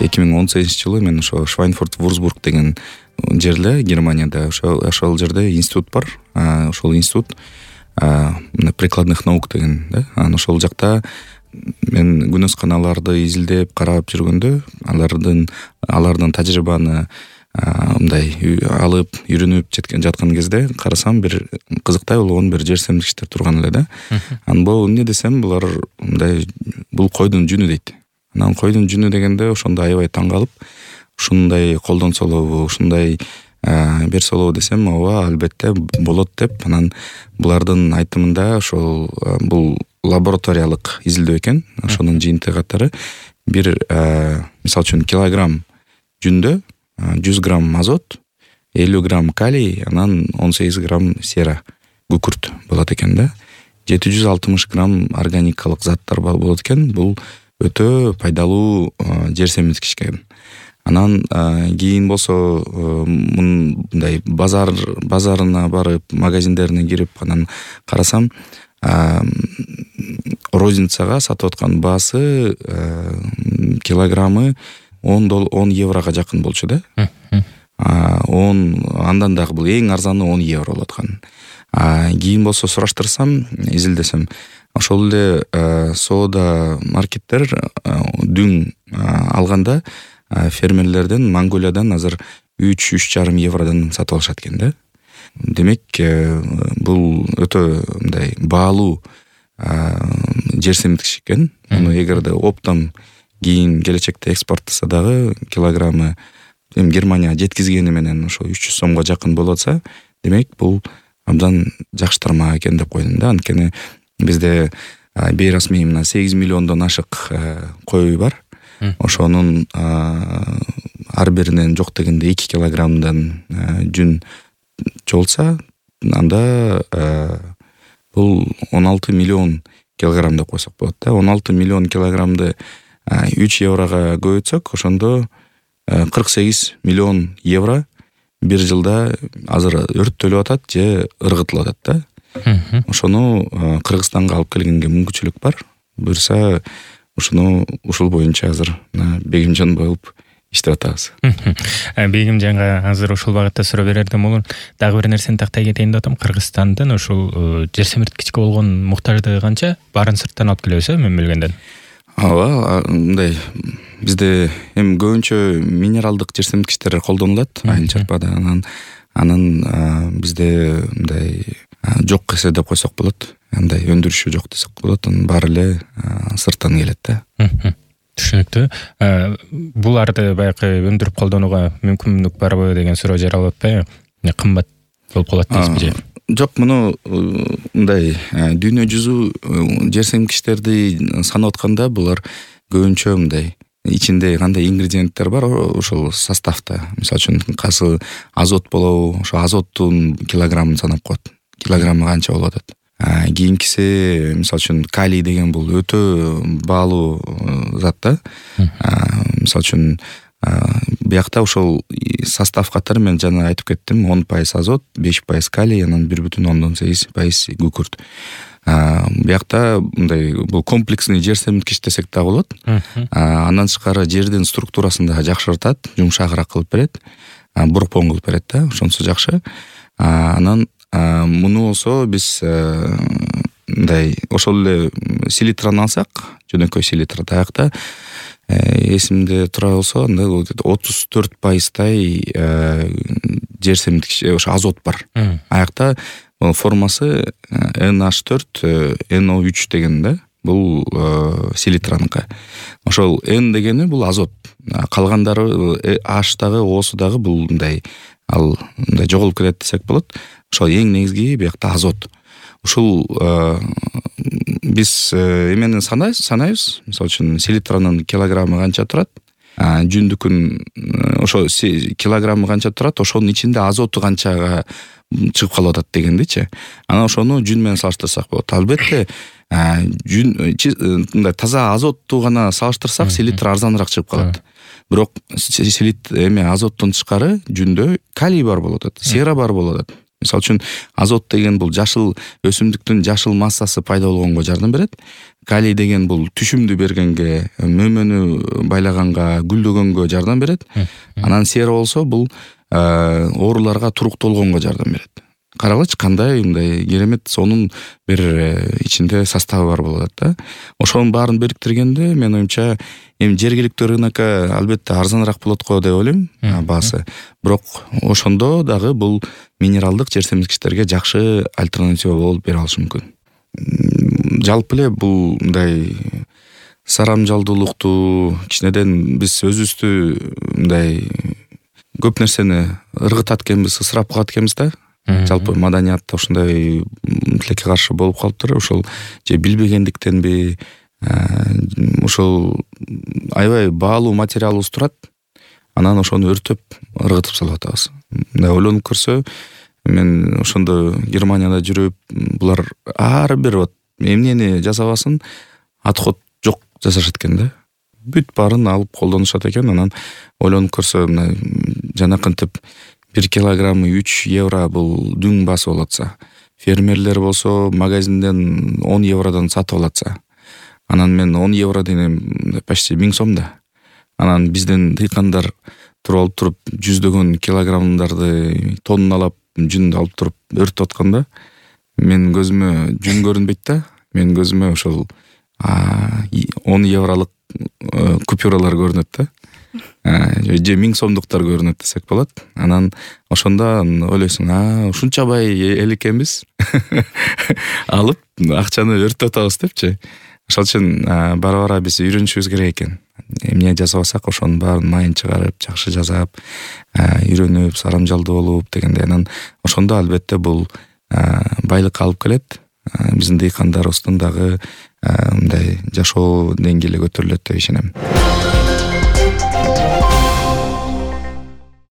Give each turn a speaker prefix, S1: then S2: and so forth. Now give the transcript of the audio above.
S1: 2018-жылы мен ошо Швайнфурт-Вурцбург деген жерде, Германияда ошол жерде институт бар. Ошол институт прикладных наук деген, да. Ошол жакта мен күнөсканаларды изилдеп карап жүргөндө, алардын тажрыйбаны мындай алып, үйрөнүп жаткан кезде карасам, бир кызыктай болгон бир жер семирткичтер турган эле да. Бул эмне десем, булар мындай, бул койдун жүнү дейт. Анан койдун жүнү дегенде ошондо аябай таң калып, ушундай колдонсолобу, ушундай берсолобу десем, ооба, албетте болот деп. Анан булардын айтымында ошол бул лабораториялык изилдөө экен. Ошонун жыйынтыгы катары бир мисалы үчүн килограмм жүндө 100 грамм азот, 50 грамм калий, анан 18 грамм сера, күкүрт болот экен да. 760 грамм органикалык заттар болот экен. Бул өтө пайдалуу жер семирткич экен. Анан кийин болсо мындай базарына барып, магазиндерине кирип, анан карасам, розницага сатып аткан баасы килограммы 10 еврого жакын болчу да. Андан дагы бул эң арзаны 10 евро болот экен. Кийин болсо сураштырсам, изилдесем, ошол эле соода маркеттер дүң алганда фермерлерден, Монголиядан азыр 3,5 евродон сатып алышат экен да. Демек, бул өтө мындай баалуу жер семирткич экен. Муну эгерде оптом кийин келечекте экспорттаса дагы килограммы Германияга жеткизгени менен ошо 300 сомго жакын болуп атса, демек бул абдан жакшы тармак экен деп койдум да. Анткени бизде бейрасмий 8 миллиондон ашык кой бар. Ошонун ар биринен жок дегенде 2 килограммдан жүн чогулса, анда бул 16 миллион килограмм деп койсок болот да. 16 миллион килограммды 3 еврого көбөйтсөк, ошондо 48 миллион евро бир жылда азыр өрттөлүп атат же ыргытылып атат да. Ошону Кыргызстанга алып келгенге мүмкүнчүлүк бар. Буюрса, ушуну ушул боюнча азыр Бегимжан болуп иштеп атабыз.
S2: Бегимжанга азыр ушул багытта суроо берердим болон, дагы бир нерсени тактай кетейин деп атам. Кыргызстандын ушул жер семирткичке болгон муктаждыгы канча? Баарын сырттан алып келебиз, мен билгенден.
S1: Ооба, мындай бизде эми көбүнчө минералдык жер семирткичтер колдонулат айыл чарпада. Анан бизде мындай жок эсе деп койсок болот. Андай өндүрүшү жок десек болот. Анын баары эле сырттан келет да.
S2: Түшүнүктүү. Буларды баягы өндүрүп колдонууга мүмкүнлүк барбы деген суроо жаралып атпайбы? Кымбат болуп калат дейсизби же?
S1: Жок, муну мындай дүйнө жүзү жер семирткичтерди санап атканда, булар көбүнчө мындай ичинде кандай ингредиенттер бар ошол составта. Мисалы үчүн кайсы азот болобу, ошо азоттун килограммын санап коет. Килограммы канча болуп атат. Кийинкиси, мисалы үчүн калий деген бул өтө баалуу зат да. Мисалы үчүн биякта ошол состав катары мен жана айтып кеттим, 10% азот, 5% калий, анан 1,8% күкүрт. Биякта мындай бул комплексный жер семирткич десек да болот. Андан тышкары жердин структурасын да жакшыртат, жумшагыраак кылып берет, бурпон кылып берет да, ошонсу жакшы. Анан муну болсо биз мындай ошол эле селитраны алсак, жөнөкөй селитра таякта эсимде тура болсо, 34%тай жер семирткич, ошо азот бар. Аякта формасы NH4, NO3 деген да. Бул селитраныкы. Ошол N дегени бул азот. Калгандары H дагы, O'су дагы бул мындай мындай жоголуп кетет десек болот. Ошол эң негизги биякта азот. Ушул биз эмени санайбыз. Мисалы үчүн селитранын килограммы канча турат? Жүндүкүн ошо килограммы канча турат? Ошонун ичинде азоту канчага чыгып калып атат дегендичи. Анан ошону жүн менен салыштырсак болот. Албетте жүн мындай таза азотту гана салыштырсак, селитра арзаныраак чыгып калат. Бирок азоттон тышкары жүндө калий бар болуп атат, сера бар болуп атат. Мисалы үчүн азот деген бул жашыл өсүмдүктүн жашыл массасы пайда болгонго жардам берет. калий деген бул түшүмдү бергенге, мөмөнү байлаганга, гүлдөгөнгө жардам берет. Анан сера болсо бул ооруларга туруктолгонго жардам берет. Карагылачы кандай мындай керемет сонун бир ичинде составы бар болот да. Ошонун баарын бириктиргенде менин оюмча эми жергиликтүү рынокко албетте арзаныраак болот го деп ойлойм баасы. Бирок ошондо дагы бул минералдык жер семирткичтерге жакшы альтернатива болуп бере алышы мүмкүн. Жалпы эле бул мындай сарамжалдуулукту кичинеден биз өзүбүздү мындай көп нерсени ыргытат экенбиз, ысырап кылат экенбиз да. Жалпы маданиятта ушундай тилекке каршы болуп калыптыр. Ошол же билбегендиктенби, ошол аябай баалуу материалыбыз турат. Анан ошону өртөп, ыргытып салып атабыз. Мындай ойлонуп көрсө, мен ошондо Германияда жүрүп, булар ар бир вот эмнени жасабасын отход жок жасашат экен да. Бүт баарын алып колдонушат экен. Анан ойлонуп көрсө, мына жанакынтип 1 килограммы 3 евро бул дүң басып алатса, фермерлер болсо магазинден 10 евродон сатып алатса, анан мен 10 евро денем почти 1000 сом да. Анан бизден дыйкандар туруп алып жүздөгөн килограммдарды тонналап жүндү алып туруп өртөп атканда, мен көзүмө жүн көрүнбөйт да. Мен көзүмө ошол 10 евролук купюралар көрүнөт да. Же 1000 сомдуктар көрүнөт десек болот. Анан ошондо ойлойсуң, ушунчабай эл экенбиз. Алып акчаны өртөп атабыз депчи. Ошол үчүн бара-бара биз үйрөнүшүбүз керек экен. Эмне жасабасак ошонун баарын майын чыгарып, жакшы жасап, үйрөнүп, сарамжалдуу болуп дегенде, анан ошондо албетте бул байлыкка алып келет. Биздин дыйкандарыбыздын дагы мындай жашоо деңгээли көтөрүлөт деп ишенем.